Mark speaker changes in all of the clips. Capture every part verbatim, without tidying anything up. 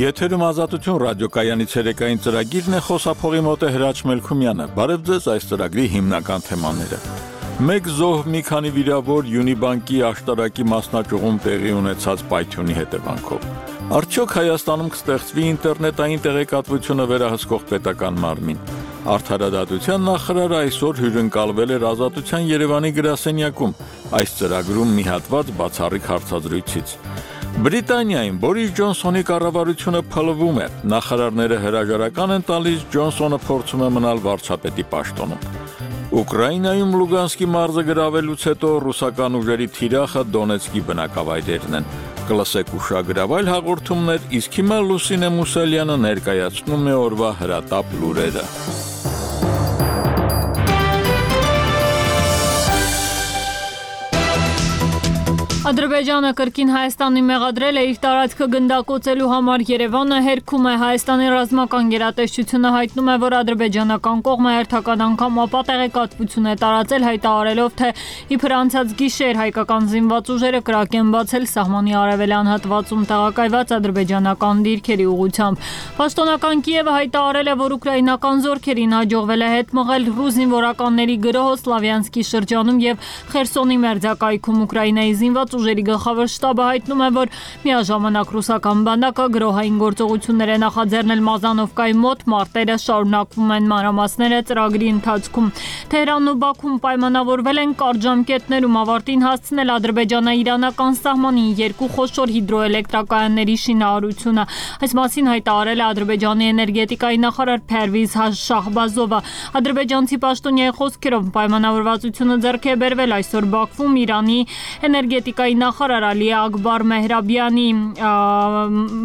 Speaker 1: Եթերում ազատություն ռադիոկայանի ցերեկային ծրագիրն է, խոսափողի մոտ է Հրաչ Մելքումյանը։ Բարև ձեզ, այս ծրագրի հիմնական թեմաները։ Մեկ զոհ, մի քանի վիրավոր Յունիբանկի աշտարակի մասնաճյուղում տեղի ունեցած պայթյունի հետևանքով։ Արդյոք Հայաստանում կստեղծվի ինտերնետային տեղեկատվությունը վերահսկող պետական մարմին։ Արդարադատության նախարարը այսօր հյուրընկալվել էր Ազատության Երևանի գրասենյակում, այս ծրագրում մի հատված բացառիկ հարցազրույցից։ Բրիտանիայում Բորիս Ջոնսոնի կառավարությունը փլվում է, նախարարները հրաժարական են տալիս, Ջոնսոնը փորձում է մնալ վարչապետի պաշտոնում։ Ուկրաինայում Լուգանսկի մարզը գրավելուց հետո ռուսական ուժերի թիրախը Դոնեցկի բնակավայրերն են։ Կլսեք ուշագրավայր հաղորդումներ, իսկ հիմա Լուսինե Մուսալյանը ներկայացնում է օրվա հրատապ լուրերը։
Speaker 2: Ադրբեջանը կրկին Հայաստանին մեղադրել է իր տարածքը գնդակոծելու համար։ Երևանը հերքում է, Հայաստանի ռազմական գերատեսչությունը հայտնում է, որ ադրբեջանական կողմը հերթական անգամ ապա տեղեկատվություն է տարածել, հայտարարելով, թե իբր անցած գիշեր հայկական զինված ուժերը կրակ են բացել սահմանի արևելյան հատվածում տեղակայված ադրբեջանական դիրքերի ուղղությամբ։ Պաշտոնական Կիևը հայտարարել է, որ ուկրաինական զորքերին հաջողվել է հետ մղել ռուս զինվորականների գրոհը Սլավյանսկի շրջանում եւ Խերսոնի մերձակայքում Ուկրաինայի զինված ուժերի գլխավոր շտաբը հայտնում է, որ միաժամանակ ռուսական բանակը գրոհային գործողություններ է նախաձեռնել Մազանովկայի մոտ, մարտերը շարունակվում են, մանրամասները ծրագրի ընթացքում։ Թեհրանն ու Բաքուն պայմանավորվել են կարճ ժամկետներում ավարտին հասցնել ադրբեջանա-իրանական սահմանին երկու խոշոր հիդրոէլեկտրակայանների շինարարությունը։ Այս մասին հայտարարել է Ադրբեջանի էներգետիկայի նախարար Փերվիզ Շահբազովը։ Ադրբեջանցի պաշտոնյայի խոսքերով պայմանավորվածությունը ձեռք է բերվել այսօր Բաքվում Իրանի էներգետիկայի նախարար Ալի Ակբար Մեհրաբյանի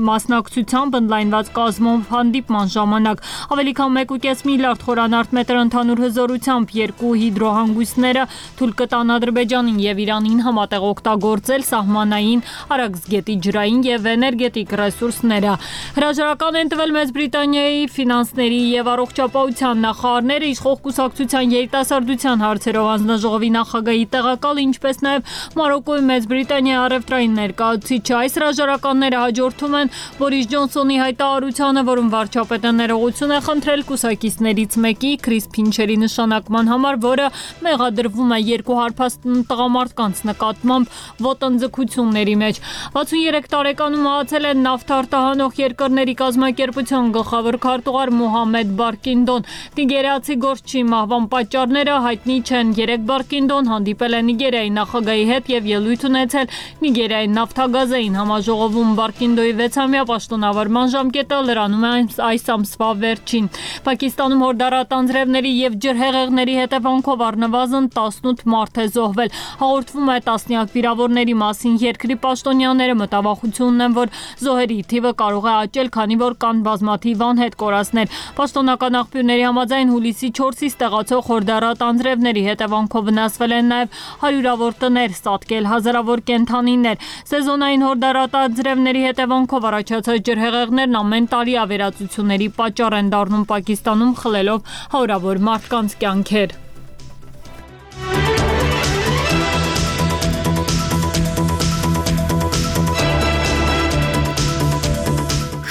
Speaker 2: մասնակցությամբ ընդլայնված կազմով հանդիպման ժամանակ ավելի քան մեկ ու կես միլիարդ խորանարդ մետր ընդհանուր հզորությամբ երկու հիդրոհանգույցները թույլ կտան Ադրբեջանին եւ Իրանին համատեղ օգտագործել սահմանային Արաքսգետի ջրային եւ էներգետիկ ռեսուրսները։ Հրաժարական են տվել Մեծ Բրիտանիայի ֆինանսների եւ առողջապահության նախարարները, իշխող կուսակցության երիտասարդության հարցերով հանձնաժողովի նախագահի տեղակալ, ինչպես նաեւ Մարոկոյի Մեծ Բրիտանիայի առևտրային ներկայացուցիչը։ Այս հրաժարականները հաջորդում են Բորիս Ջոնսոնի հայտարարությանը, որում վարչապետը ներողություն է խնդրել կուսակիցներից մեկի Քրիս Փինչերի նշանակման համար, որը մեղադրվում է երկու հարբած տղամարդկանց նկատմամբ ոտնձգությունների մեջ։ վաթսուներեք տարեկանում մահացել է նավթ-արտահանող երկրների կազմակերպության գլխավոր քարտուղար Մոհամեդ Բարկինդոն։ Նիգերիացի գործչի մահվան պատճառները հայտնի չեն։ Երեկ Բարկինդոն հանդիպել է Նիգերիայի նախագահի հետ եւ ելույթ ունեցել Նիգերիայի նավթագազային համաժողովում։ Բարկինդոյի վեցամյա պաշտոնավարման ժամկետը լրանում է այս ամսվա վերջին։ Պակիստանում հորդառատ անձրևների եւ ջրհեղեղների հետևանքով առնվազն տասնութ մարդ է զոհվել։ Հաղորդվում է տասնյակ վիրավորների մասին։ Երկրի պաշտոնյաները մտավախություն ունեն, որ զոհերի թիվը կարող է աճել, քանի որ կան բազմաթիվ անհետ կորածներ։ Պաշտոնական աղբյուրների համաձայն հուլիսի չորսից տեղացող հորդառատ անձրևների հետևանքով վնասվել են նաեւ հարյուրավոր տներ, սատկել հազարավոր կենդանիներ։ Սեզոնային հորդառատ անձրևների հետևանքով առաջացած ջրհեղեղներն ամեն տարի ավերածությունների պատճառ են դառնում Պակիստանում, խլելով հարյուրավոր մարդկանց կյանքեր։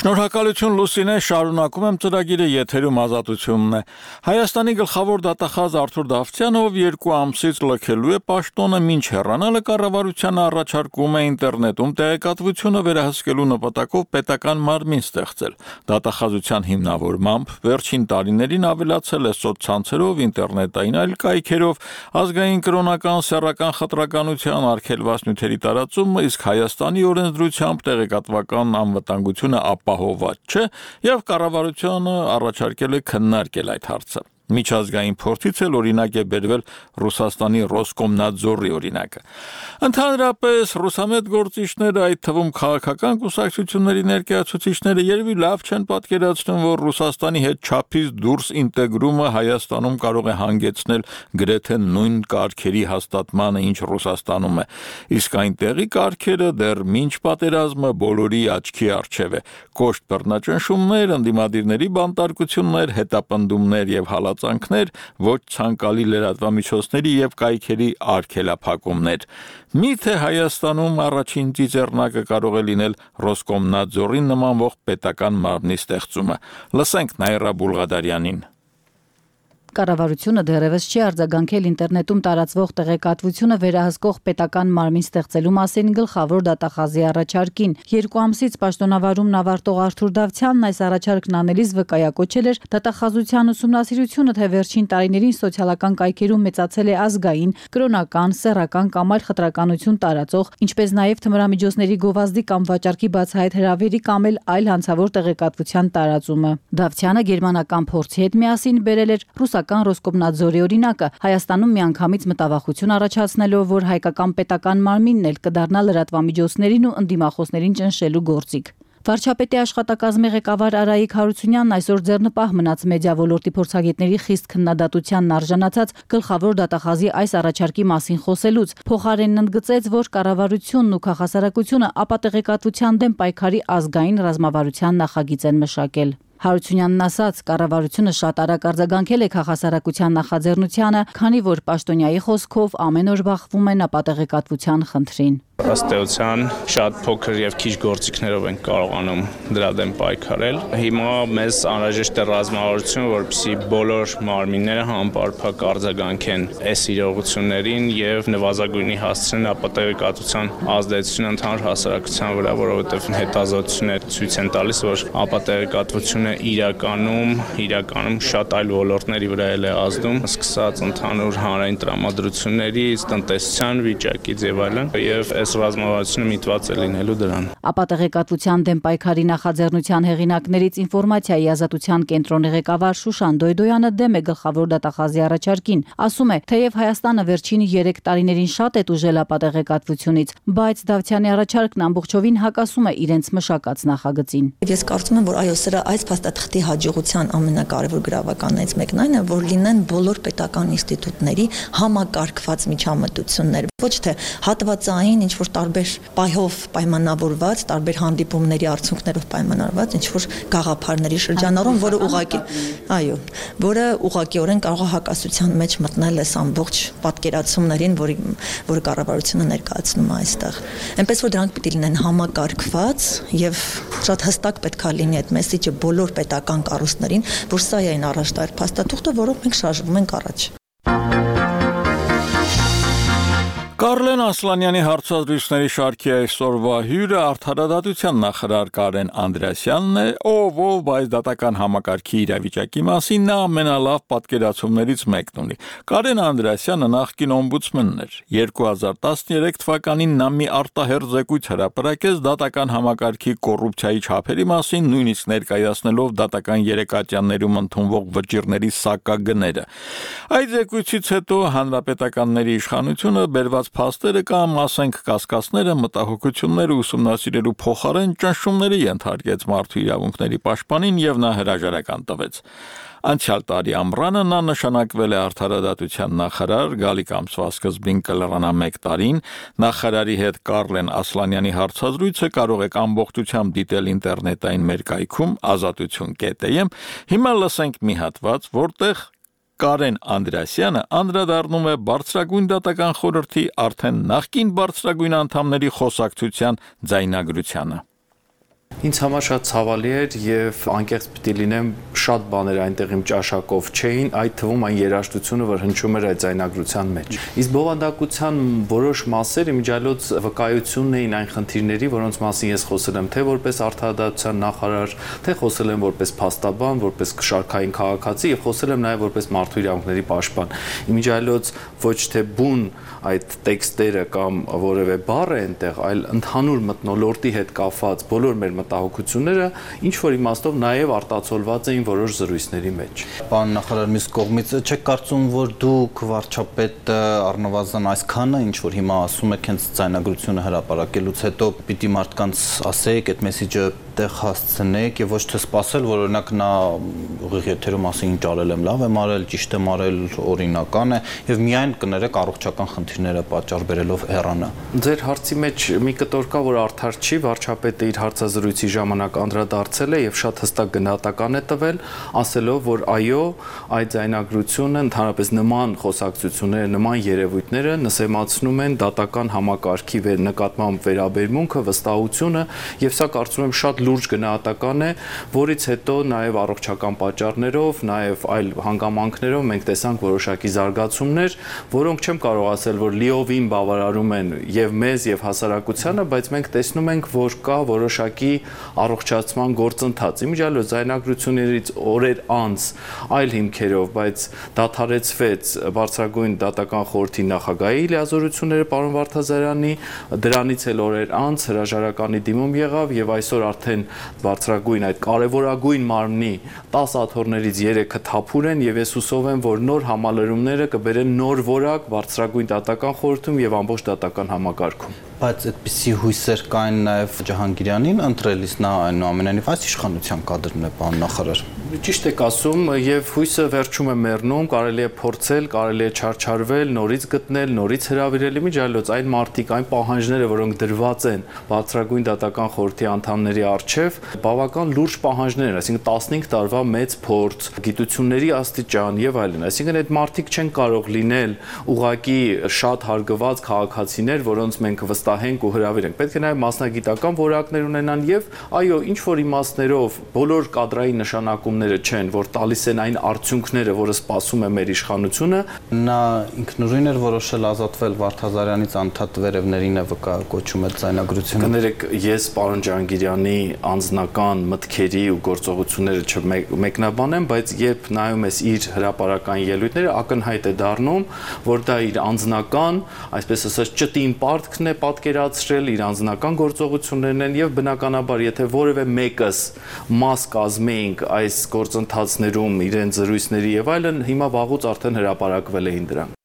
Speaker 1: Շնորհակալություն Լուսինե, շարունակում եմ ծրագիրը, եթերում ազատությունն է։ Հայաստանի գլխավոր դատախազ Արթուր Դավթյանով երկու ամսից լքելու է պաշտոնը, մինչ հեռանալը կառավարությանը առաջարկում է ինտերնետում տեղեկատվությունը վերահսկելու նպատակով պետական մարմին ստեղծել։ Դատախազության հիմնավորմամբ վերջին տարիներին ավելացել է սոցցանցերով, ինտերնետային այլ կայքերով, ազգային կրոնական, սեռական խտրականության, արգելված նյութերի տարածումը, իսկ Հայաստանի օրենսդրությամբ տեղեկատվական անվտանգությունը ապահոված չէ եւ կառավարությունը առաջարկել է քննարկել այդ հարցը։ Միջազգային փորձից էլ օրինակ է բերվել Ռուսաստանի Ռոսկոմնadzorի օրինակը։ Ընդհանրապես ռուսամետ գործիչները, այդ թվում քաղաքական կուսակցությունների ներկայացուցիչները երևի լավ չեն պատկերացնում, որ Ռուսաստանի հետ չափից դուրս ինտեգրումը Հայաստանում կարող է հանգեցնել գրեթե նույն կարգերի հաստատմանը, ինչ Ռուսաստանում է։ Իսկ այնտեղի կարգերը դեռ մինչ պատերազմը բոլորի աչքի առջև է։ Կոշտ բռնաճնշումներ, ընդդիմադիրների բանտարկություններ, հետապնդումներ եւ հալած սպասվածանքներ, ոչ ցանկալի լրատվամիջոցների եւ կայքերի արգելափակումներ։ Միթե Հայաստանում առաջին ծիծեռնակը կարող է լինել Ռոսկոմնadzorին նմանվող պետական մարմնի ստեղծումը։ Լսենք Նաիրա Բուլղադարյանին։
Speaker 3: Կառավարությունը դեռևս չի արձագանքել ինտերնետում տարածվող տեղեկատվությունը վերահսկող պետական մարմին ստեղծելու մասին գլխավոր դատախազի առաջարկին։ Երկու ամսից պաշտոնավարումն ավարտող Արթուր Դավթյանն այս առաջարկն անելիս վկայակոչել էր դատախազության ուսումնասիրությունը, թե վերջին տարիներին սոցիալական կայքերում մեծացել է ազգային, կրոնական, սեռական կամ այլ խտրականություն տարածող, ինչպես նաև թմրամիջոցների գովազդի կամ վաճառքի բացահայտ հրավերի կամ այլ հանցավոր տեղեկատվության տարածումը։ Դավթյանը գերմանական փորձի հետ միասին բերել էր ռուսական Ռոսկոմնadzorի օրինակը, Հայաստանում միանգամից մտավախություն առաջացնելով, որ հայկական պետական մարմինն էլ կդառնա լրատվամիջոցներին ու ընդդիմախոսներին ճնշելու գործիք։ Վարչապետի աշխատակազմի ղեկավար Արայիկ Հարությունյանն այսօր ձեռնպահ մնաց մեդիա ոլորտի փորձագետների խիստ քննադատությանն արժանացած գլխավոր դատախազի այս առաջարկի մասին խոսելուց, փոխարենն ընդգծեց, որ կառավարությունն ու քաղաքասարակությունը ապատեղեկատվության դեմ պայքարի ազգային ռազմավարության նախագիծ են մշակել։ Հարությունյանն ասաց, կառավարությունը շատ արագ արձագանքել է քաղաքասարակության նախաձեռնությանը, քանի որ պաշտոնյայի խոսքով ամեն օր բախվում են ապատեղեկատվության խնդրին։
Speaker 4: Ըստ էության շատ փոքր եւ քիչ գործիքներով են կարողանում դրա դեմ պայքարել։ Հիմա մեզ անհրաժեշտ է ռազմավարություն, որպեսզի բոլոր մարմինները համապարփակ արձագանքեն այս իրողություններին եւ նվազագույնի հասցնեն ապատեղեկատվության ազդեցությունը ընդհանուր հասարակության վրա, որովհետեւ հետազոտությունները ցույց են տալիս, որ ապատեղեկատվությունը իրականում իրականում շատ այլ ոլորտների վրա է ազդում, սկսած ընդհանուր հանրային տրամադրություններից, տնտեսության վիճակից եւ այլն, եւ այս ռազմավարությունը միտված է լինելու դրան։
Speaker 3: Ապատեղեկատվության դեմ պայքարի նախաձեռնության հեղինակներից ինֆորմացիայի ազատության կենտրոնի ղեկավար Շուշան Դոյդոյանը դեմ է գլխավոր դատախազի առաջարկին։ Ասում է, թեև Հայաստանը վերջին երեք տարիներին շատ է տուժել ապատեղեկատվությունից, բայց Դավթյանի առաջարկն ամբողջովին հակասում է իրենց մշակած նախագծին։
Speaker 5: Ես կարծում եմ, որ այո, սրա այս փաստաթղթի հաջողության ամենակարևոր գրավականներից մեկն այն է, որ լինեն բոլոր պետական ինստիտուտների համակարգված միջամտություններ, ոչ թե հատվածային ինչ-որ տարբեր պայով պայմանավորված, տարբեր հանդիպումների արդյունքներով պայմանավորված ինչ-որ գաղափարների շրջանառում, որը ուղղակի, այո, որը ուղղակիորեն կարող է հակասության մեջ մտնել այս ամբողջ պատկերացումներին, որի որը կառավարությունը ներկայացնում է այստեղ։ Այնպես որ դրանք պիտի լինեն համակարգված եւ շատ հստակ պետք է լինի այդ մեսիջը բոլոր պետական կառույցներին, որ սա է այն առաջտար փաստաթուղթը, որով մենք շարժվում ենք առաջ։
Speaker 1: Կարլեն Ասլանյանի հարցազրույցների շարքի այսօրվա հյուրը արդարադատության նախարար Կարեն Անդրեասյանն է, ով ով բայց դատական համակարգի իրավիճակի մասին նա ամենալավ պատկերացումներից մեկն ունի։ Կարեն Անդրեասյանը նախկին օմբուդսմենն էր։ երկու հազար տասներեք թվականին նա մի արտահերձ զեկույց հրապարակեց դատական համակարգի կոռուպցիայի չափերի մասին, նույնիսկ ներկայացնելով դատական երեկատյաններում ընդունվող վճիռների սակագները։ Այդ զեկույցից հետո հանրապետականների իշխանությունը բերված փաստերը կամ ասենք կասկածները մտահոգությունները ուսումնասիրելու փոխարեն ճնշումների ենթարկեց մարդու իրավունքների պաշտպանին եւ նա հրաժարական տվեց։ Անցյալ տարի ամռանը նա նշանակվել է արդարադատության նախարար, գալիք ամսվա սկզբին կլրանա մեկ տարին։ Նախարարի հետ Կարլեն Ասլանյանի հարցազրույցը կարող եք ամբողջությամբ դիտել ինտերնետային մեր կայքում ազատություն կետ եմ։ Հիմա լսենք մի հատված, որտեղ Կարեն Անդրեասյանը անդրադառնում է բարձրագույն դատական խորհրդի արդեն նախկին բարձրագույն անդամների խոսակցության ձայնագրությանը։
Speaker 6: Ինձ համար շատ ցավալի էր եւ անկեղծ պիտի լինեմ, շատ բաներ այնտեղ իմ ճաշակով չէին, այդ թվում այն երաժշտությունը, որ հնչում էր այդ ձայնագրության մեջ։ Իսկ բովանդակության որոշ մասեր իմիջիալոց վկայությունն էին այն խնդիրների, որոնց մասին ես խոսել եմ, թե որպես արդարադատության նախարար, թե խոսել եմ որպես փաստաբան, որպես շարքային քաղաքացի եւ խոսել եմ նաեւ որպես մարդու իրավունքների պաշտպան։ Իմիջիալոց ոչ թե բուն այդ տեքստերը կամ որևէ բառ է այնտեղ, այլ ընդհանուր մթնոլորտի հետ կապված բոլոր մեր մտահոգությունները ինչ որ իմաստով նաև արտացոլված էին որոշ զրույցների մեջ։
Speaker 7: Պարոն նախարար, մյուս կողմից չեք կարծում, որ դուք վարչապետը առնվազն այսքանը ինչ որ հիմա ասում եք հենց ձայնագրությունը հրապարակելուց հետո պիտի մարդկանց ասեք այդ մեսիջը այդտեղ հասցնեք եւ ոչ թե սпасել, որ օրինակ նա ուղիղ եթերում ասի ինչ արել եմ, լավ եմ արել, ճիշտ եմ արել, օրինական է եւ միայն կներեք առողջական խնդիրները պատճառ բերելով հեռանա։
Speaker 6: Ձեր հարցի մեջ մի կտոր կա, որ արդար չի, վարչապետը իր հարցազրույցի ժամանակ անդրադարձել է եւ շատ հստակ գնահատական է տվել, ասելով, որ այո, այդ ձայնագրությունը ընդհանրապես նման խոսակցությունները, նման երևույթները նսեմացնում են դատական համակարգի նկատմամբ վերաբերմունքը, վստահությունը եւ սա կարծում եմ շատ լուրջ գնահատական է, որից հետո նաեւ առողջական պատճառներով, նաեւ այլ հանգամանքներով մենք տեսանք որոշակի զարգացումներ, որոնք չեմ կարող ասել, որ լիովին բավարարում են եւ մեզ եւ հասարակությանը, բայց մենք տեսնում ենք, որ կա որոշակի առողջացման գործընթաց։ Իմիջիալո ձայնագրություններից օրեր անց այլ հիմքերով, բայց դադարեցվեց բարձրագույն դատական խորհրդի նախագահի լիազորությունները պարոն Վարդազարյանի, դրանից էլ օրեր անց հրաժարականի դիմում եղավ եւ այսօր արդեն բարձրագույն այդ կարևորագույն մարմնի տասը աթոռներից երեքը թափուր են եւ ես հուսով եմ, որ նոր համալրումները կբերեն նոր որակ բարձրագույն դատական խորհրդում եւ ամբողջ դատական համակարգում։
Speaker 7: Բայց այդպիսի հույսեր կային նաև Ջահանգիրյանին ընտրելիս, նա այնուամենայնիվ այս իշխանության կադրն է, պարոն նախարար։
Speaker 6: Ճիշտ եք ասում, եւ հույսը վերջում է մեռնում, կարելի է փորձել, կարելի է չարչարվել, նորից գտնել, նորից հրավիրել, իմիջիալոց այն մարտիկ, այն պահանջները, որոնք դրված են բարձրագույն դատական խորհրդի անդամների առջև, բավական լուրջ պահանջներ են, այսինքն տասնհինգ տարվա մեծ փորձ, գիտությունների աստիճան եւ այլն, այսինքն այդ մարտիկ չեն կարող լինել ուղղակի շատ հարգված քաղաքացիներ, որոնց մենք վստահենք ու հրավիրենք։ Պետք է նաև մասնագիտական որակներ ունենան եւ այո, ինչ որ իմաստներով բոլոր կադրային նշանակումները չեն, որ տալիս են այն արդյունքները, որը սպասում է մեր իշխանությունը։
Speaker 7: Նա ինքնուրույն էր որոշել ազատվել Վարդազարյանից, անդադ վերևներին է վկայակոչում այդ ձայնագրությունը։
Speaker 6: Կներեք, ես պարոն Ջահանգիրյանի անձնական մտքերի ու գործողությունները չմեկնաբանեմ, բայց երբ նայում ես իր հրապարական ելույթները, ակնհայտ է դառնում, որ դա իր անձնական, այսպես ասած, ճտին պարտքն է պատկերացրել, իր անձնական գործողություններն են եւ բնականաբար, եթե որևէ մեկս մաս կազմեինք այս գործընթացներում իրեն զրույցների եւ այլն, հիմա վաղուց արդեն հրապարակվել էին դրանք։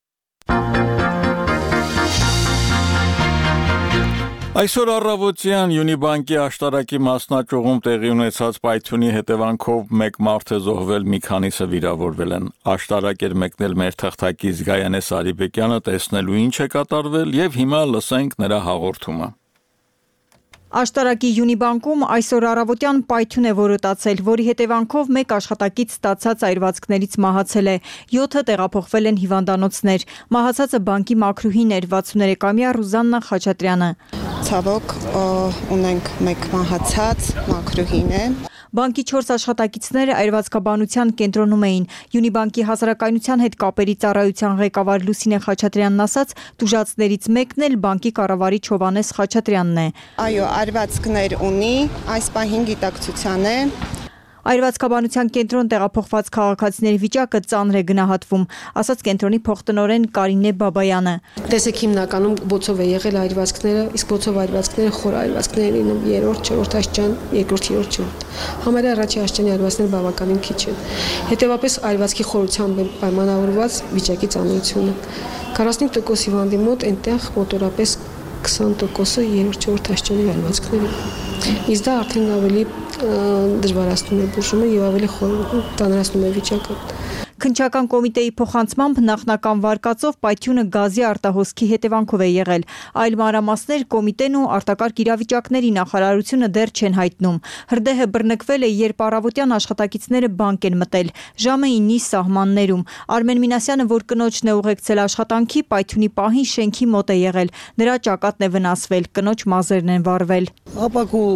Speaker 1: Այսօր առավոտյան Յունիբանկի աշտարակի մասնաճյուղում տեղի ունեցած պայթյունի հետևանքով մեկ մարդ է զոհվել, մի քանիսը վիրավորվել են։ Աշտարակ էր մեկնել մեր թղթակից Գայանե Սարիբեկյանը տեսնելու ինչ է կատարվել եւ հիմա լսենք նրա հաղորդումը։
Speaker 8: Աշտարակի Յունիբանկում այսօր առավոտյան պայթյուն է որոտացել, որի հետևանքով մեկ աշխատակից ստացած այրվածքներից մահացել է, յոթը տեղափոխվել են հիվանդանոցներ։ Մահացածը բանկի մաքրուհին էր, վաթսուներեքամյա Ռուզաննա Խաչատրյանը։
Speaker 9: Ցավոք ունենք մեկ մահացած, մաքրուհին է։
Speaker 8: Բանկի չորս աշխատակիցները այրվածքաբանության կենտրոնում էին։ Յունիբանկի հասարակայնության հետ կապերի ծառայության ղեկավար Լուսինե Խաչատրյանն ասաց, տուժածներից մեկն էլ բանկի կառավարիչ Հովհաննես Խաչատրյանն է։
Speaker 9: Այո, այրվածքներ ունի, այս պահին գիտակցության է։
Speaker 8: Այրվածքաբանության կենտրոն տեղափոխված քաղաքացիների վիճակը ծանր է գնահատվում, ասաց կենտրոնի փոխտնօրեն Կարինե Բաբայանը։
Speaker 10: Տեսեք հիմնականում բոցով է եղել այրվածքները, իսկ բոցով այրվածքները խոր այրվածքներ են լինում երրորդ, չորրորդ աստիճան, երկրորդ, երրորդ, չորրորդ։ Համարյա առաջի աստիճանի այրվածքները բավականին քիչ են։ Հետևաբար այրվածքի խորությամբ պայմանավորված վիճակի ծանրությունը։ քառասունհինգ տոկոս հիվանդի մոտ այնտեղ մոտորապես քսան տոկոսը երրորդ, չորրորդ աստիճանի այրվածքներ են։ Իսկ դա արդեն ավելի դժվարացնում է բուժումը եւ ավելի տանրացնում է վիճակը։
Speaker 8: Քննչական կոմիտեի փոխանցմամբ նախնական վարկածով պայթյունը գազի արտահոսքի հետևանքով է եղել։ Այլ մանրամասներ կոմիտեն ու արտակարգ իրավիճակների նախարարությունը դեռ չեն հայտնում։ Հրդեհը բռնկվել է, երբ առավոտյան աշխատակիցները բանկ են մտել, ժամը ինի սահմաններում։ Արմեն Մինասյանը, որ կնոջն է ուղեկցել աշխատանքի, պայթյունի պահին շենքի մոտ է եղել։ Նրա ճակատն է վնասվել, կնոջ մազերն են վառվել։
Speaker 11: Ապակու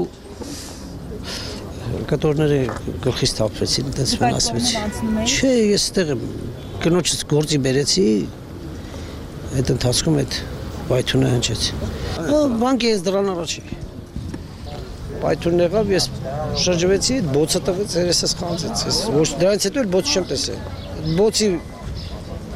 Speaker 11: կտորները գլխից թափվեցին, դες վնասվեցի։ Չէ, ես այդտեղ կնոջից գործի բերեցի, այդ ընթացքում այդ պայթյունը հնչեց։ Բանկի ես դրան առաջի։ Պայթյունն եղավ, ես շրջվեցի, բոցը տվեց, երեսս խանձեց։ Ոչ դրանից հետո էլ բոց չեմ տեսել։ Բոցի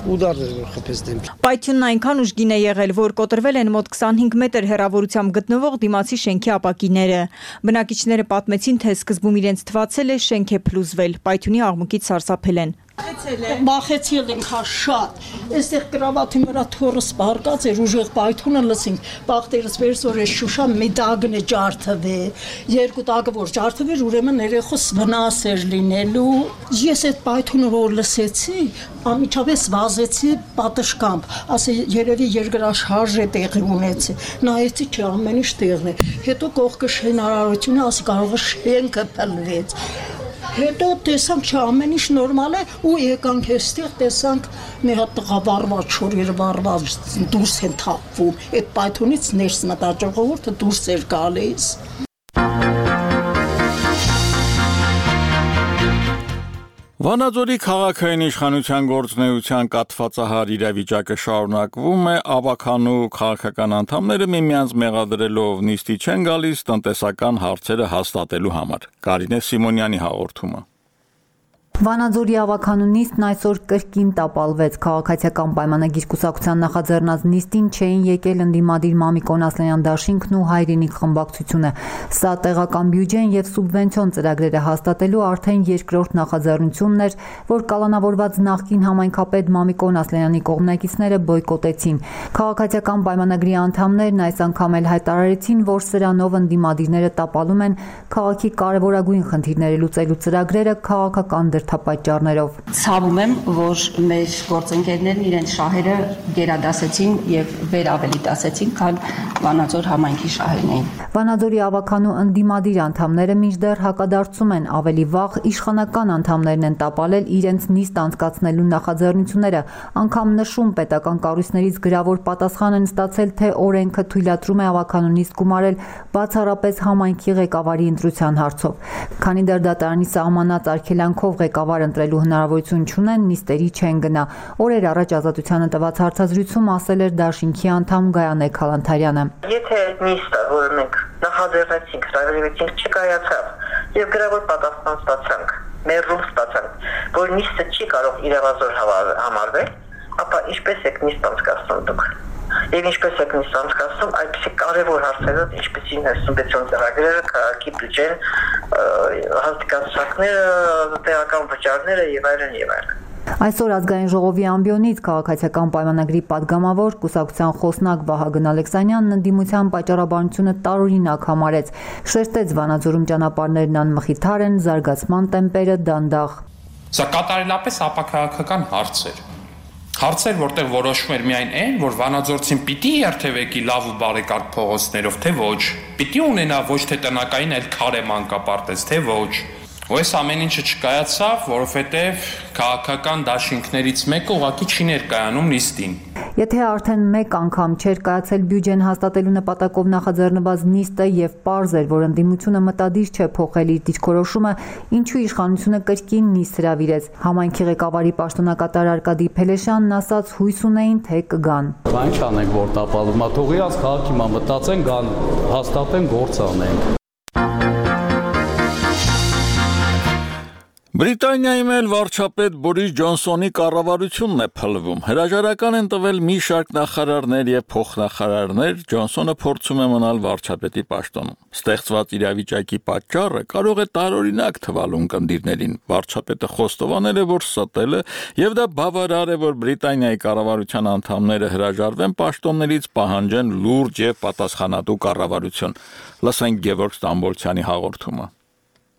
Speaker 11: ուդարներ որ խփեց դեմ։
Speaker 8: Պայթյունն այնքան ուժգին է եղել, որ կոտրվել են մոտ քսանհինգ մետր հեռավորությամբ գտնվող դիմացի շենքի ապակիները։ Բնակիչները պատմեցին, թե սկզբում իրենց թվացել է շենք է փլուզվել, պայթյունի աղմուկից սարսափել են։
Speaker 12: Մախեցել ենք հա շատ։ Այստեղ կրավաթի վրա թորս բարկած էր ուժեղ պայթունը լսինք։ Բախտերս վերս որ էս Շուշա մի դագն է ջարդվե։ Երկու դագը որ ջարդվեր, ուրեմն երեխոս վնաս էր լինելու։ Ես այդ պայթունը որ լսեցի, անմիջապես վազեցի պատշգամբ։ Ասե երևի երկրաշարժ է տեղի ունեցի։ Նայեցի չի ամեն ինչ տեղն է։ Հետո կողքը շենարարությունը, ասի կարող է շենքը փլվեց։ Հետո տեսանք չէ ամեն ինչ նորմալ է ու եկանք այստեղ տեսանք մի հատ տղա վառված շորերը վառված դուրս են թափվում այդ պայթունից ներս մտա ժողովուրդը դուրս էր գալիս
Speaker 1: Վանաձորի քաղաքային իշխանության գործունեության կաթվածահար իրավիճակը շարունակվում է, ավականու քաղաքական անդամները միմյանց մեղադրելով նիստի չեն գալիս տնտեսական հարցերը հաստատելու համար։ Կարինե Սիմոնյանի հաղորդումը։
Speaker 13: Վանաձորի ավականու նիստն այսօր կրկին տապալվեց։ Քաղաքացիական պայմանագիր կուսակցության նախաձեռնած նիստին չէին եկել ընդդիմադիր Մամիկոն Ասլանյան դաշինքն ու Հայրենիք խմբակցությունը։ Սա տեղական բյուջեն եւ սուբվենցիոն ծրագրերը հաստատելու արդեն երկրորդ նախաձեռնությունն էր, որ կալանավորված նախկին համայնքապետ Մամիկոն Ասլանյանի կողմնակիցները բոյկոտեցին։ Քաղաքացիական պայմանագրի անդամներն այս անգամ էլ հայտարարեցին, որ սրանով ընդդիմադիրները տապալում են քաղաքի կարևորագույն խնդիրները լուծելու ծրագրերը քաղաքական պատճառներով։
Speaker 14: Ցավում եմ, որ մեր գործընկերներն իրենց շահերը գերադասեցին եւ վեր ավելի դասեցին, քան Վանաձոր համայնքի շահերն էին։
Speaker 13: Վանաձորի ավականու ընդդիմադիր անդամները մինչդեռ հակադարձում են, ավելի վաղ իշխանական անդամներն են տապալել իրենց նիստ անցկացնելու նախաձեռնությունները, անգամ նշում պետական կառույցներից գրավոր պատասխան են ստացել, թե օրենքը թույլատրում է ավականու նիստ գումարել բացառապես համայնքի ղեկավարի ընտրության հարցով։ Քանի դեռ դատարանի սահմանած արգելանքով ղեկավար ընտրելու հնարավորություն չունեն, նիստերի չեն գնա։ Օրեր առաջ Ազատությանը տված հարցազրույցում ասել էր դաշինքի անդամ Գայանե Քալանթարյանը։
Speaker 15: Եթե նիստը, որը մենք նախաձեռնեցինք, հրավիրեցինք, չկայացավ եւ գրավոր պատասխան ստացանք, մերժում ստացանք, որ նիստը չի կարող իրավազոր համարվել, ապա ինչպես եք նիստ անցկացնում դուք։ Եվ ինչպես եք նիստ անցկացնում, այդպիսի կարևոր հարցերով, ինչպիսին սուբվենցիոն ծրագրերը, քաղաքի բյուջեն, հաստիկացությունները, տեղական վճարները եւ այլն եւ այլն։
Speaker 13: Այսօր ազգային ժողովի ամբիոնից քաղաքացիական պայմանագրի падգամավոր կուսակցության խոսնակ Վահագն Ալեքսանյանն ընդդիմության պատճառաբանությունը տարօրինակ համարեց, շեշտեց Վանաձորում ճանապարհներն անմխիթար են, զարգացման տեմպերը դանդաղ։
Speaker 16: Սա կատարելապես ապաքաղաքական հարց էր։ Հարցեր, որտեղ որոշում էր միայն այն, որ վանաձորցին պիտի երթևեկի լավ ու բարեկարգ փողոցներով, թե ոչ, պիտի ունենա ոչ թե տնակային, այլ քարե մանկապարտեզ, թե ոչ։ Ու այս ամեն ինչը չկայացավ, որովհետև քաղաքական դաշինքներից մեկը ուղղակի չի ներկայանում նիստին։
Speaker 13: Եթե արդեն մեկ անգամ չէր կայացել բյուջեն հաստատելու նպատակով նախաձեռնված նիստը եւ պարզ էր, որ ընդդիմությունը մտադիր չէ փոխել իր դիրքորոշումը, ինչու իշխանությունը կրկին նիստ հրավիրեց։ Համայնքի ղեկավարի պաշտոնակատար Արկադի Փելեշյանն ասաց հույս ունեին, թե կգան։
Speaker 17: Բա ինչ անենք, որ տապալում է, թողի աս քաղաքի մա մտածեն, գան, հաստատեն, գործ անենք։
Speaker 1: Բրիտանիայում էլ վարչապետ Բորիս Ջոնսոնի կառավարությունն է փլվում։ Հրաժարական են տվել մի շարք նախարարներ եւ փոխնախարարներ, Ջոնսոնը փորձում է մնալ վարչապետի պաշտոնում։ Ստեղծված իրավիճակի պատճառը կարող է տարօրինակ թվալ ունկնդիրներին։ Վարչապետը խոստովանել է, որ ստել է եւ դա բավարար է, որ Բրիտանիայի կառավարության անդամները հրաժարվեն պաշտոններից, պահանջեն լուրջ եւ պատասխանատու կառավարություն։ Լսենք Գևորգ Ստամբոլցյանի հաղորդումը։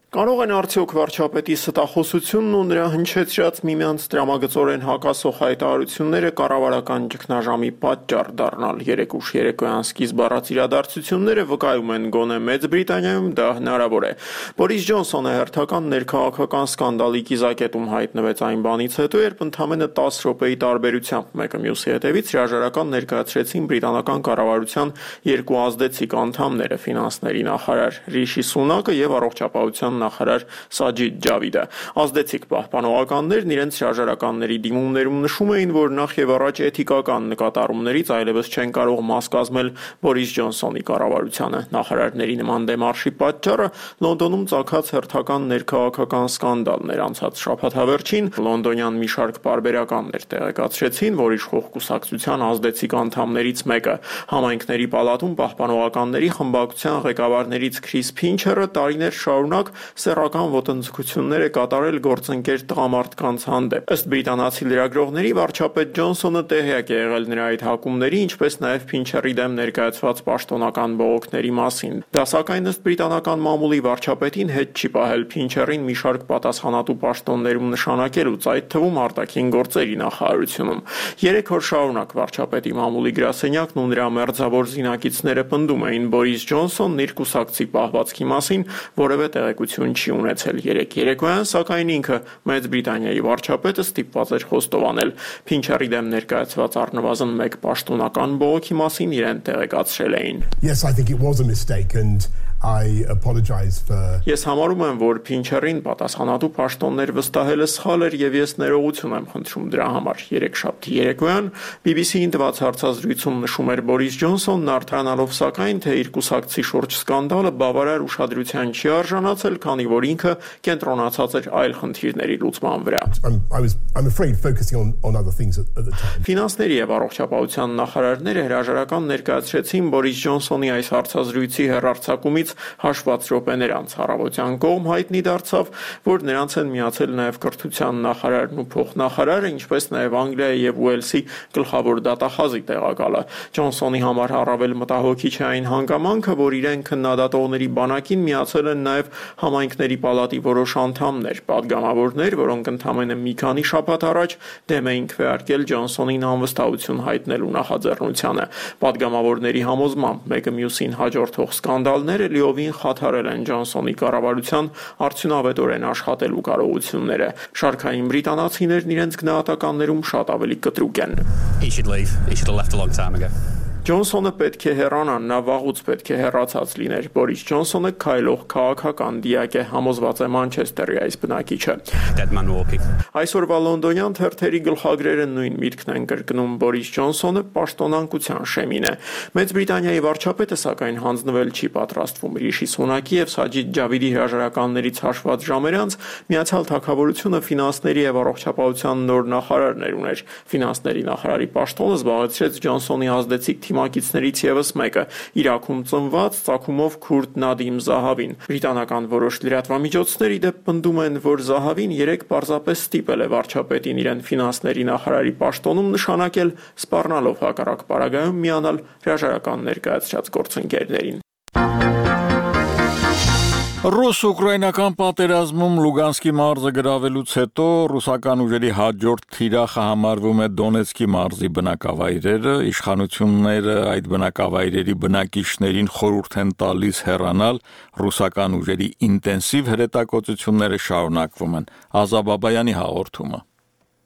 Speaker 18: Կարող են արդյոք վարչապետի ստախոսությունն ու նրա հնչեցրած միմյանց տրամագծորեն հակասող հայտարարությունները կառավարական ճգնաժամի պատճառ դառնալ։ Երեկ ուշ երեկոյան սկիզբ առած իրադարձությունները վկայում են գոնե Մեծ Բրիտանիայում դա հնարավոր է։ Բորիս Ջոնսոնը հերթական ներքաղաքական սկանդալի կիզակետում հայտնվեց այն բանից հետո, երբ ընդամենը տասը րոպեի տարբերությամբ մեկը մյուսի հետևից հրաժարական ներկայացրեցին բրիտանական կառավարության երկու ազդեցիկ անդամները՝ ֆինանսների նախարար Ռիշի Սունակը եւ առողջապահության նախարար Սաջիդ Ջավիդը։ Ազդեցիկ պահպանողականներն իրենց հրաժարականների դիմումներում նշում էին, որ նախ եւ առաջ էթիկական նկատառումներից այլևս չեն կարող մաս կազմել Բորիս Ջոնսոնի կառավարությանը։ Նախարարների նման դեմարշի պատճառը Լոնդոնում ծագած հերթական ներքաղաքական սկանդալներ անցած շաբաթավերջին լոնդոնյան մի շարք պարբերականներ տեղեկացրեցին, որ իշխող կուսակցության ազդեցիկ անդամներից մեկը համայնքների պալատում պահպանողականների խմբակցության ղեկավարներից Քրիս Փինչերը տարիներ շարունակ սեռական ոտնձգություններ է կատարել գործընկեր տղամարդկանց հանդեպ։ Ըստ բրիտանացի լրագրողների, վարչապետ Ջոնսոնը տեղյակ է եղել նրա այդ հակումների, ինչպես նաև Փինչերի դեմ ներկայացված պաշտոնական բողոքների մասին։ Դա սակայն ըստ բրիտանական մամուլի վարչապետին հետ չի պահել Փինչերին մի շարք պատասխանատու պաշտոններում նշանակելուց, այդ թվում արտաքին գործերի նախարարությունում։ Երեք օր շարունակ վարչապետի մամուլի գրասենյակն ու նրա մերձավոր զինակիցները պնդում էին Բորիս Ջոնսոնն իր կուսակցի պահվածքի մասին որևէ տեղեկություն չի ունեցել։ Երեք երեկոյան, սակայն ինքը Մեծ Բրիտանիայի վարչապետը ստիպված էր խոստովանել Փինչերի դեմ ներկայացված առնվազն մեկ պաշտոնական բողոքի մասին իրեն տեղեկացրել էին։
Speaker 19: Yes, I think it was a mistake and I apologize for
Speaker 18: Ես համարում եմ, որ Փինչերին պատասխանատու պաշտոններ վստահելը սխալ էր եւ ես ներողություն եմ խնդրում դրա համար։ Երեքշաբթի երեկոյան B B C-ին տված հարցազրույցում նշում էր Բորիս Ջոնսոնն, արտահանելով սակայն, թե իր կուսակցի շուրջ սկանդալը բավարար ուշադրության չի արժանացել, քանի որ ինքը կենտրոնացած էր այլ խնդիրների լուծման վրա։
Speaker 19: I was I'm afraid focusing on on other things at, at the time.
Speaker 18: Ֆինանսների եւ առողջապահության նախարարները հրաժարական ներկայացրեցին Բորիս Ջոնսոնի այս հարցազրույցի հեռարձակումից հաշված րոպեներ անց առավոտյան կողմ հայտնի դարձավ, որ նրանց են միացել նաև կրթության նախարարն ու փոխնախարարը, ինչպես նաև Անգլիայի եւ Ուելսի գլխավոր դատախազի տեղակալը։ Ջոնսոնի համար առավել մտահոգիչ է այն հանգամանքը, որ իրեն քննադատողների բանակին միացել են նաև համայնքների պալատի որոշ անդամներ, падգամավորներ, որոնք ընդամենը մի քանի շաբաթ առաջ դեմ էին քվեարկել Ջոնսոնին անվստահություն հայտնելու նախաձեռնությանը։ Падգամավորների համոզմամբ մեկը մյուսին հաջորդող սկանդալները լիովին խաթարել են Ջոնսոնի կառավարության արդյունավետորեն աշխատելու կարողությունները։ Շարքային բրիտանացիներն իրենց գնահատականներում շատ ավելի կտրուկ են։
Speaker 20: He should leave. He should have left a long time ago.
Speaker 18: Ջոնսոնը պետք է հեռանա, նա վաղուց պետք է հեռացած լիներ։ Բորիս Ջոնսոնը քայլող քաղաքական դիակ է, համոզված է Մանչեսթերի այս բնակիչը։
Speaker 20: Dead man walking.
Speaker 18: Այսօրվա լոնդոնյան թերթերի գլխագրերը նույն միտքն են կրկնում Բորիս Ջոնսոնը պաշտոնանկության շեմին է։ Մեծ Բրիտանիայի վարչապետը սակայն հանձնվել չի պատրաստվում։ Ռիշի Սունակի եւ Սաջիդ Ջավիդի հրաժարականներից հաշված ժամեր անց Միացյալ Թագավորությունը ֆինանսների եւ առողջապահության նոր նախարարներ ուներ։ Ֆինանսների նախարարի պաշտոնը զբաղեցրեց Ջոնսոնի ազդեցիկ թիմակիցներից եւս մեկը՝ Իրաքում ծնված ծագումով քուրդ Նադիմ Զահավին։ Բրիտանական որոշ լրատվամիջոցների դեպ պնդում են, որ Զահավին երեք պարզապես ստիպել է վարչապետին իրեն ֆինանսների նախարարի պաշտոնում նշանակել, սպառնալով հակառակ պարագայում միանալ հրաժարական ներկայացրած գործընկերներին։
Speaker 1: Ռուս-ուկրաինական պատերազմում Լուգանսկի մարզը գրավելուց հետո ռուսական ուժերի հաջորդ թիրախը համարվում է Դոնեցկի մարզի բնակավայրերը, իշխանությունները այդ բնակավայրերի բնակիչներին խորհուրդ են տալիս հեռանալ, ռուսական ուժերի ինտենսիվ հրետակոծությունները շարունակվում են։ Ազա Բաբայանի հաղորդումը։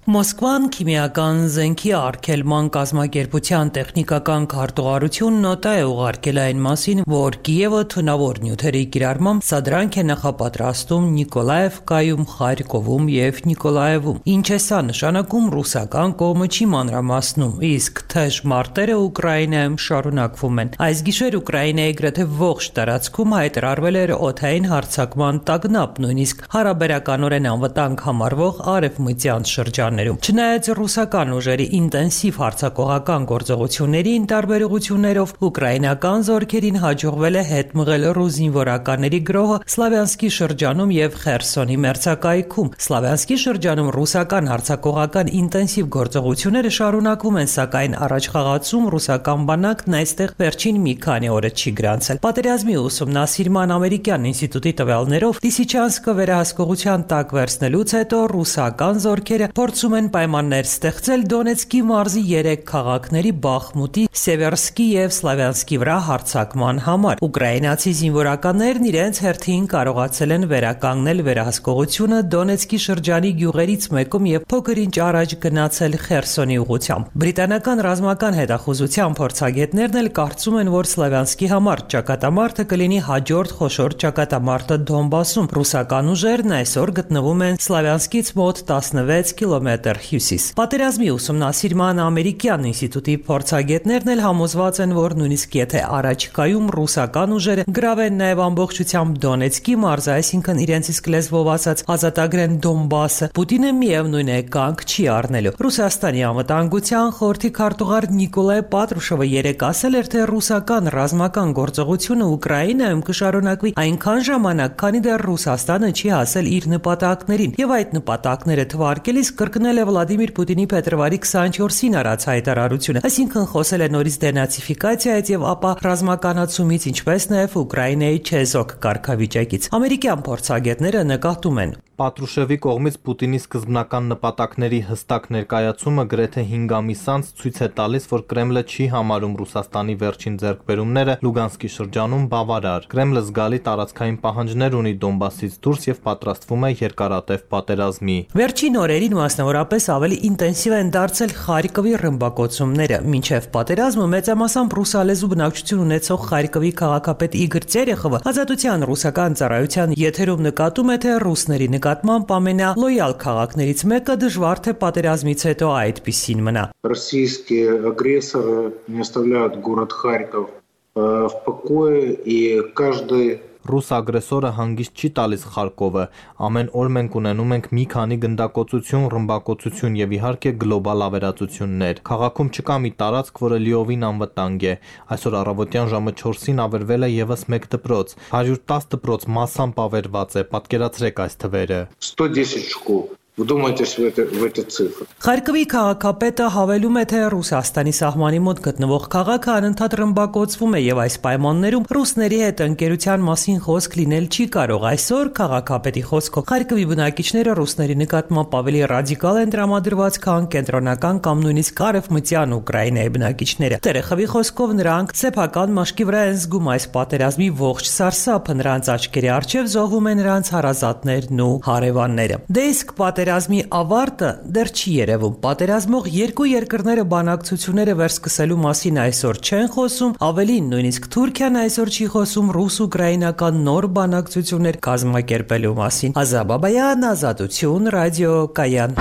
Speaker 21: Մոսկվան քիմիական զենքի արգելման կազմակերպության տեխնիկական քարտուղարություն նոտա է ուղարկել այն մասին, որ Կիևը թունավոր նյութերի կիրառմամբ սադրանք է նախապատրաստում Նիկոլաևկայում, Խարկովում եւ Նիկոլաևում։ Ինչ է սա նշանակում, ռուսական կողմը չի մանրամասնում, իսկ թեժ մարտերը Ուկրաինայում շարունակվում են։ Այս գիշեր Ուկրաինայի գրեթե ողջ տարածքում հայտարարվել էր օդային հարձակման տագնապ, նույնիսկ հարաբերականորեն անվտանգ համարվող արևմտյան շրջան։ Չնայած ռուսական ուժերի ինտենսիվ հարձակողական գործողություններին տարբերություններով ուկրաինական զորքերին հաջողվել է հետ մղել ռուս զինվորականների գրոհը Սլավյանսկի շրջանում եւ Խերսոնի մերձակայքում։ Սլավյանսկի շրջանում ռուսական հարձակողական ինտենսիվ գործողությունները շարունակվում են, սակայն առաջխաղացում ռուսական բանակն այստեղ վերջին մի քանի օրը չի գրանցել։ Պատերազմի ուսումնասիրման ամերիկյան ինստիտուտի տվյալներով Լիսիչանսկը վերահսկողության տակ վերցնելուց հետո ռուսական զորքերը փորձում են պայմաններ ստեղծել Դոնեցկի մարզի երեք քաղաքների Բախմուտի, Սևերսկի եւ Սլավյանսկի վրա հարձակման համար։ Ուկրաինացի զինվորականներն իրենց հերթին կարողացել են վերականգնել վերահսկողությունը Դոնեցկի շրջանի գյուղերից մեկում եւ փոքր-ինչ առաջ գնացել Խերսոնի ուղությամբ։ Բրիտանական ռազմական հետախուզության փորձագետներն էլ կարծում են, որ Սլավյանսկի համար ճակատամարտը կլինի հաջորդ խոշոր ճակատամարտը Դոնբասում։ Ռուսական ուժերն այսօր գտնվում են Սլավյանսկից մոտ տասնվեց կիլոմետր կիլոմետր հյուսիս։ Պատերազմի ուսումնասիրման ամերիկյան ինստիտուտի փորձագետներն էլ համոզված են, որ նույնիսկ եթե առաջիկայում ռուսական ուժերը գրավեն նաև ամբողջությամբ Դոնեցկի մարզը, այսինքն իրենց իսկ լեզվով ասած ազատագրեն Դոնբասը, Պուտինը միևնույն է կանգ չի առնելու։ Ռուսաստանի անվտանգության խորհրդի քարտուղար Նիկոլայ Պատրուշովը երեկ ասել էր, թե ռուսական ռազմական գործողությունը Ուկրաինայում կշարունակվի այնքան ժամանակ, քանի դեռ Ռուսաստանը չի հասել իր նպատակներին, եւ այդ նպատակները թվարկելիս կրկնել է Վլադիմիր Պուտինի փետրվարի քսանչորսին արած հայտարարությունը, այսինքն խոսել է նորից դենացիֆիկացիայից եւ ապա ռազմականացումից, ինչպես նաեւ Ուկրաինայի չեզոք կարգավիճակից։ Ամերիկյան փորձագետները նկատում են.
Speaker 7: Պատրուշևի կողմից Պուտինի սկզբնական նպատակների հստակ ներկայացումը գրեթե հինգ ամիս անց ցույց է տալիս, որ Կրեմլը չի համարում Ռուսաստանի վերջին ձեռքբերումները Լուգանսկի շրջանում բավարար։ Կրեմլը զգալի տարածքային պահանջներ ունի Դոնբասից դուրս եւ պատրաստվում է երկարատև պատերազմի։
Speaker 21: Վերջին օրերին մասնավորապես ավելի ինտենսիվ են դարձել Խարկովի ռմբակոծումները, մինչև պատերազմը մեծամասամբ ռուսալեզու բնակչություն ունեցող Խարկովի քաղաքապետ Իգոր Տերեխովը Ազատության ռուսական ծառայության եթերում նկատում է, թե ռուսների նկատմամբ ամենալոյալ քաղաքներից մեկը դժվար թե պատերազմից հետո այդպիսին մնա։
Speaker 2: Российские агрессоры не оставляют город Харьков в покое, и каждый
Speaker 7: Ռուս ագրեսորը հանգիստ չի տալիս Խարկովը։ Ամեն օր մենք ունենում ենք մի քանի գնդակոծություն, ռմբակոծություն եւ իհարկե գլոբալ ավերածություններ։ Քաղաքում չկա մի տարածք, որը լիովին անվտանգ է։ Այսօր առավոտյան ժամը չորսին ավերվել է եւս մեկ դպրոց։ հարյուր տասը դպրոց massամբ ավերված է։ Պատկերացրեք այս թվերը։
Speaker 2: сто десять школ. Вдумайтесь в, это, в эти цифры.
Speaker 21: Խարկովի քաղաքապետը հավելում է, թե Ռուսաստանի սահմանի մոտ գտնվող քաղաքը անընդհատ ռմբակոծվում է եւ այս պայմաններում ռուսների հետ ընկերության մասին խոսք լինել չի կարող։ Այսօր քաղաքապետի խոսքով Խարկովի բնակիչները ռուսների նկատմամբ ավելի ռադիկալ են տրամադրված, քան կենտրոնական կամ նույնիսկ արևմտյան Ուկրաինայի բնակիչները։ Տերեխովի խոսքով նրանք սեփական մաշկի վրա են զգում այս պատերազմի ողջ սարսափը, նրանց աչքերի առջև զոհվում են նրանց հարազատներն ու հարևանները։ Դե իսկ Պատերազմի ավարտը դեռ չի երևում։ Պատերազմող երկու երկրները բանակցությունները վերսկսելու մասին այսօր չեն խոսում, ավելին նույնիսկ Թուրքիան այսօր չի խոսում ռուս-ուկրաինական նոր բանակցություններ կազմակերպելու մասին։ Ազա Բաբայան, Ազատություն, ռադիոկայան։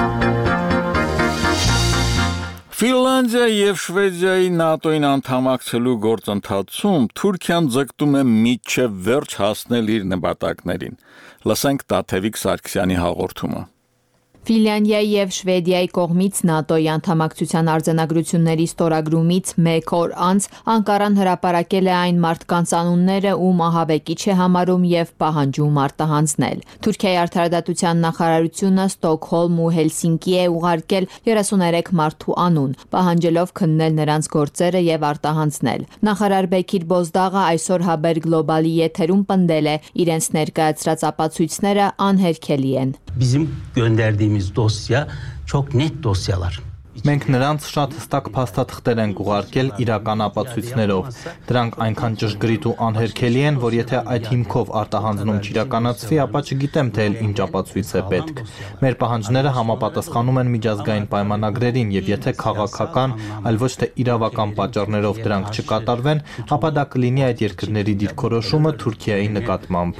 Speaker 1: Ֆինլանդիայի եւ Շվեդիայի ՆԱՏՕ-ին անդամակցելու գործընթացում Թուրքիան ձգտում է մինչև վերջ հասնել իր նպատակներին։ Լսենք Տաթևիկ Սարգսյանի հաղորդումը։
Speaker 22: Ֆինլանդիայի եւ Շվեդիայի կողմից ՆԱՏՕ-ի անդամակցության արձանագրությունների ստորագրումից մեկ օր անց Անկարան հրապարակել է այն մարդկանց անունները, ում ահաբեկիչ է համարում եւ պահանջում արտահանձնել։ Թուրքիայի արդարադատության նախարարությունը Ստոկհոլմ ու Հելսինկի է ուղարկել երեսուներեք մարդու անուն, պահանջելով քննել նրանց գործերը եւ արտահանձնել։ Նախարար Բեկիր Բոզդաղը այսօր Haber Global-ի եթերում պնդել է, իրենց ներկայացրած ապացույցները անհերքելի են։
Speaker 23: Bizim gönderdiğimiz dosya çok net dosyalar.
Speaker 7: Մենք նրանց շատ հստակ փաստաթղթեր ենք ուղարկել իրական ապացույցներով։ Դրանք այնքան ճշգրիտ ու անհերքելի են, որ եթե այդ հիմքով արտահանձնում չիրականացվի, ապա չգիտեմ, թե ինչ ապացույց է պետք։ Մեր պահանջները համապատասխանում են միջազգային պայմանագրերին, եւ եթե քաղաքական, այլ ոչ թե իրավական պատճառներով դրանք չկատարվեն, ապա դա կլինի այդ երկրների դիրքորոշումը Թուրքիայի նկատմամբ։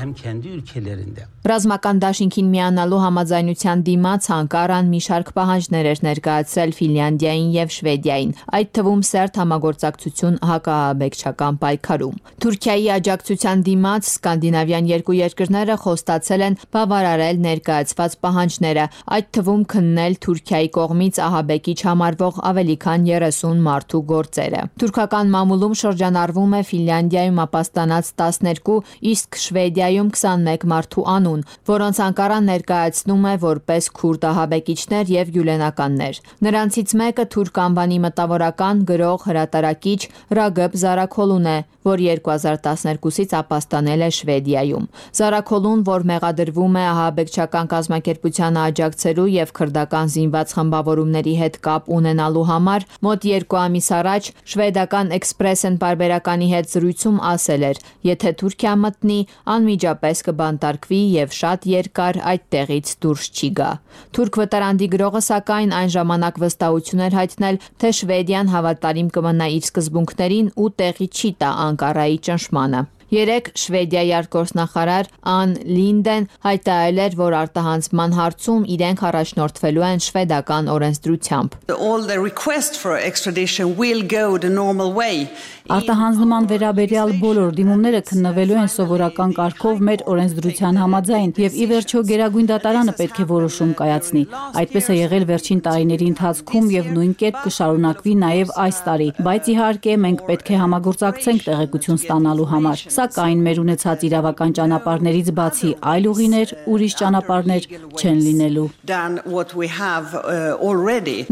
Speaker 22: Ռազմական դաշինքին միանալու համաձայնության դիմաց Անկարան մի շարք պահանջներ էր ներկայացրել Ֆինլանդիային եւ Շվեդիային, այդ թվում սերտ համագործակցություն հակահաբեկչական պայքարում։ Թուրքիայի աջակցության դիմաց սկանդինավյան երկու երկրները խոստացել են բավարարել ներկայացված պահանջները, այդ թվում քննել Թուրքիայի կողմից ահաբեկիչ համարվող ավելի քան երեսուն մարդու գործերը։ Թուրքական մամուլում շրջանառվում է Ֆինլանդիայում ապաստանած տասներկու, իսկ Շվեդիայում քսանմեկ մարդու անուն, որոնց Անկարան ներկայացնում է որպես քուրդ ահաբեկիչներ եւ գյուլենականներ։ Նրանցից մեկը թուրք անվանի մտավորական, գրող, հրատարակիչ Ռագեբ Զարաքոլուն է, որ երկու հազար տասներկուսից ապաստանել է Շվեդիայում։ Զարաքոլուն, որ մեղադրվում է ահաբեկչական կազմակերպությանը աջակցելու եւ քրդական զինված խմբավորումների հետ կապ ունենալու համար, մոտ երկու ամիս առաջ շվեդական Expressen պարբերականի հետ զրույցում ասել էր. «Եթե Թուրքիա մտնի, անմիջապես կբանտարկվի եւ շատ երկար այդ տեղից դուրս չի գա»։ Թուրք վտարանդի գրողը սակայն այն ժամանակ վստահություն էր հայտնել, թե Շվեդիան հավատարիմ կմնա իր սկզբունքներին ու տեղի չի տա Անկարայի ճնշմանը։ Երեկ Շվեդիայի արտգործնախարար Ան Լինդեն հայտարարել էր, որ արտահանձնման հարցում իրենք առաջնորդվելու են շվեդական օրենսդրությամբ։
Speaker 3: All the request for extradition will go the normal way.
Speaker 4: Արտահանձնման վերաբերյալ բոլոր դիմումները քննվելու են սովորական կարգով մեր օրենսդրության համաձայն եւ ի վերջո Գերագույն դատարանը պետք է որոշում կայացնի։ Այդպես է եղել վերջին տարիների ընթացքում եւ նույն կերպ կշարունակվի նաեւ այս տարի, բայց իհարկե մենք պետք է համագործակցենք տեղեկություն ստանալու համար։ Սակայն մեր ունեցած իրավական ճանապարհներից բացի այլ ուղիներ, ուրիշ ճանապարհներ չեն լինելու։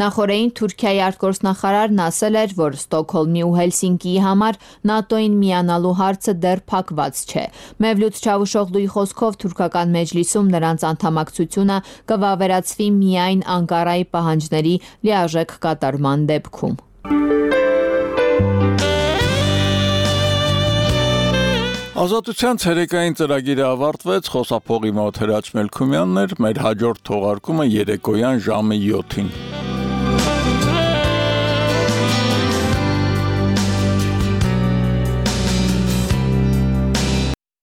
Speaker 22: Նախորդին Թուրքիայի արտգործնախարարն ասել էր, որ Ստոկհոլմի ու Հելսինկիի համար ՆԱՏՕ-ին միանալու հարցը դեռ փակված չէ։ Մևլութ Չավուշօղլուի խոսքով թուրքական մեջլիսում նրանց անդամակցությունը կվավերացվի միայն Անկարայի պահանջների լիարժեք կատարման դեպքում։
Speaker 1: Ազատության ցերեկային ծրագիրը ավարտվեց, խոսափողի մոտ Հրաչ Մելքումյանն էր, մեր հաջորդ թողարկումը երեկոյան ժամը յոթին։